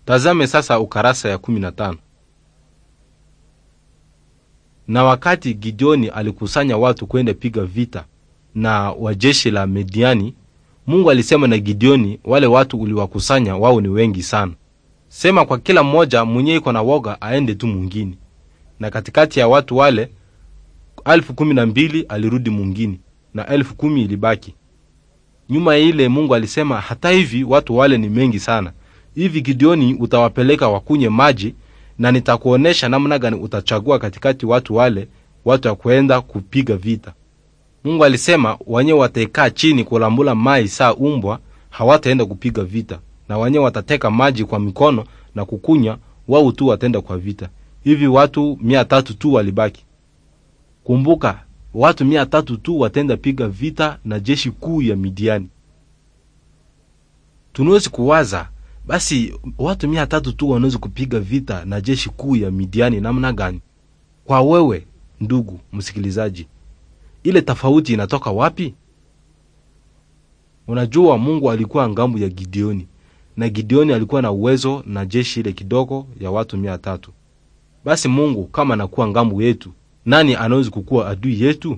Tazame sasa ukarasa ya 15. Na wakati Gideoni alikusanya watu kwenda piga vita na wajeshi la Midiani, Mungu alisema na Gideoni, wale watu uliwakusanya wao ni wengi sana. Sema kwa kila mmoja mwenye iko na woga aende tu mwingine. Na katikati ya watu wale 12,000 alirudi mwingine na 10,000 ilibaki. Nyuma ile Mungu alisema hata hivi watu wale ni mengi sana. Hivi Gideoni utawapeleka wakunye maji na nitakuonesha namna gani utachagua katikati watu wale watu wa kwenda kupiga vita. Mungu alisema wenye wataikaa chini kulambula mai saa umbwa hawataenda kupiga vita, na wenye watateka maji kwa mikono na kukunya wao tu wataenda kwa vita. Hivi watu 300 tu walibaki. Kumbuka, watu 300 tu watenda piga vita na jeshi kuu ya Midiani. Tunawezi kuwaza basi watu 300 tu wanaweza kupiga vita na jeshi kuu ya Midiani namna gani? Kwa wewe ndugu msikilizaji, ile tofauti inatoka wapi? Unajua, Mungu alikuwa ngambo ya Gideoni na Gideoni alikuwa na uwezo na jeshi ile kidogo ya watu 300. Basi Mungu kama anakuwa ngambo yetu, nani anaweza kukuwa adui yetu?